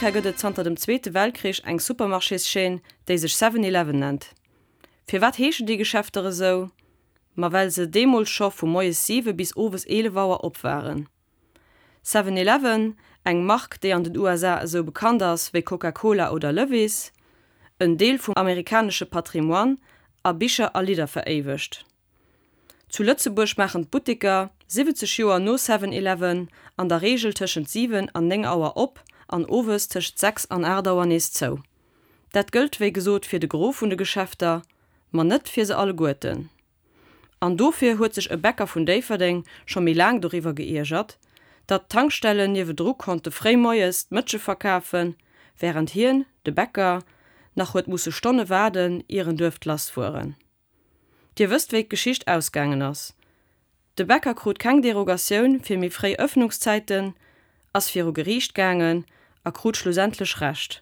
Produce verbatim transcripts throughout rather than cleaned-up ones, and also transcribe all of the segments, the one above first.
Amerika gëtt et zanter dem Zweete Weltkrich eng Supermarchéschaîne, déi sech Seven Eleven nennt. Firwat heeschen déi Geschäfter esou? Ma well se deemools scho vu moies siwe bis owes eelef Auer op waren. Seven Eleven, eng Mark, déi an den U S A esou bekannt ass wéi Coca-Cola oder Levi's, en Deel vum amerikanesche Patrimoine, a Bicher a Lidder veréiwegt. Zu Lëtzebuerg maachen d'Butteker, siwwenzeg Joer no Seven Eleven, an der Reegel tëschent siwen an néng Auer op an owes tëscht sechs an aacht Auer nees zou. Dat gëllt wéi gesot fir de Gros vun de Geschäfter, ma net fir se alleguerten. An dofir huet sech e Bäcker vun Déifferdeng scho méi laang doriwwer geiergert, datt d'Tankstellen niewedru konnte fréi moies d'Mëtsche verkafen, wärend hien, de Bäcker, nach huet musse Stonne waarden, ier en duerft lassfueren. Dir wësst, wéi d'Geschicht ausgaangen ass. De Bäcker krut keng Derogatioun fir méi fréi Ëffnungszäiten, ass viru Geriicht gaangen a krut schlussendlech Recht.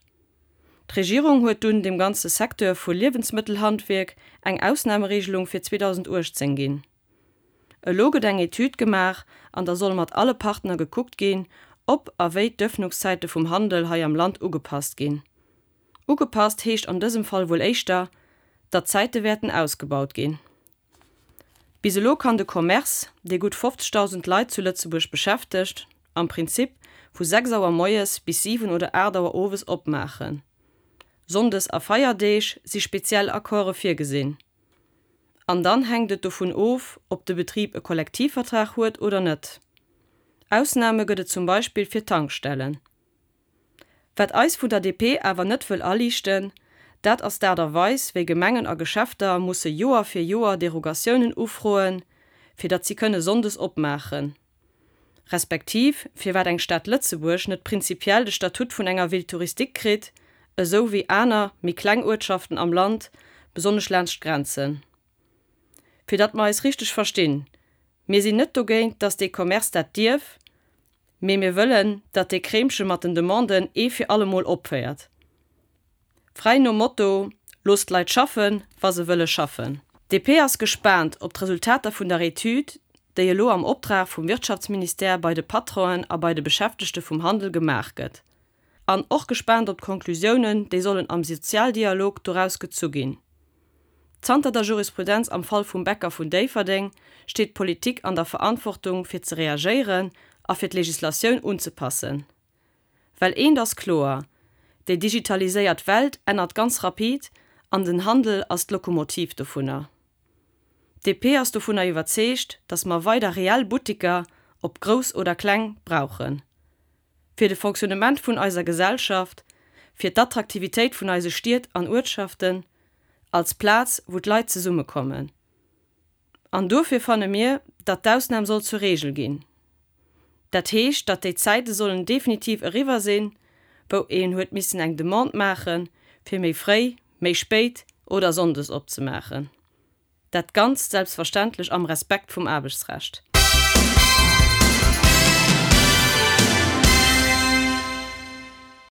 D'Regierung huet dunn dem ganze Secteur vu Liewensmëttelhandwierk eng Ausnamereegelung fir zweedausenduechtzéng ginn. Elo gëtt eng Etüd gemaach an da soll mat alle Partner gekuckt ginn, ob a wéi d'Ëffnungszäite vum Handel hei am Land ugepasst ginn. Ugepasst heescht an dësem Fall wuel éischter, datt d'Zäite wäerten ausgebaut ginn. Bis elo kann de Commerce, dee gutt fofzegdausend Leit zu Lëtzebuerg beschäftegt, am Prinzip vu sechs Auer moies bis siwen oder aacht Auer owes opmaachen. Sonndes a Feierdeeg si speziell Accorde virgesinn. An dann hänkt et dovun of, ob de Betrib e Kollektivvertrag huet oder net. Ausname gëtt et zum Beispill fir Tankstellen. Wat eis vun der D P awer net wëll aliichten, dat ass d'Aart a Weis, wéi Gemengen a Geschäfter musse Joer fir Joer Derogatiounen ufroen, fir datt si kënne sonndes opmaachen. Respektiv, firwat eng Stad Lëtzebuerg net prinzipiell de Statut vun enger Ville touristique kritt, esou wéi aner, méi kleng Uertschaften am Land, besonnesch laanscht d'Grenzen. Fir datt mer eis richteg verstinn, mir sinn net dogéint, datt dee Commerce dat dierf, mee mir wëllen, datt dee Kreemche mat den Demanden ee fir allemol opféiert. Fräi nom Motto, loosst d'Leit schaffen, wa se wëlle schaffen. D P ass gespaant op d'Resultater vun der Etüd, déi elo am Optrag vum Wirtschaftsministère bei de Patronen a bei de Beschäftegte vum Handel gemaach gëtt. An och gespaant op d'Konklusiounen, déi sollen am Sozialdialog doraus gezu ginn. Zanter der Jurisprudenz am Fall vum Bäcker vun Déifferdeng steet d'Politik an der Verantwortung fir ze reagéieren a fir d'Legislatioun unzepassen. Well eent ass kloer, déi digitaliséiert Welt ännert ganz rapid an den Handel ass d'Lokomotiv dovunner. D P ass dovunner iwwerzeegt, datt mer weider reell Butteker, ob grouss oder kleng, brauchen. Fir de Fonctionnement vun eiser Gesellschaft, fir d'Attraktivitéit vun eise Stied an Uertschaften, als Plaz, wou d'Leit zesummekommen. An dofir fanne mir, datt d'Ausnam soll zur Regel ginn. Dat heescht, datt déi Zäite sollen definitiv eriwwer sinn, wou een huet missen eng Demande maachen, fir méi fréi, méi spéit oder sonndes opzemaachen. Dat Ganzt selbstverständlech am Respekt vum Aarbechtsrecht.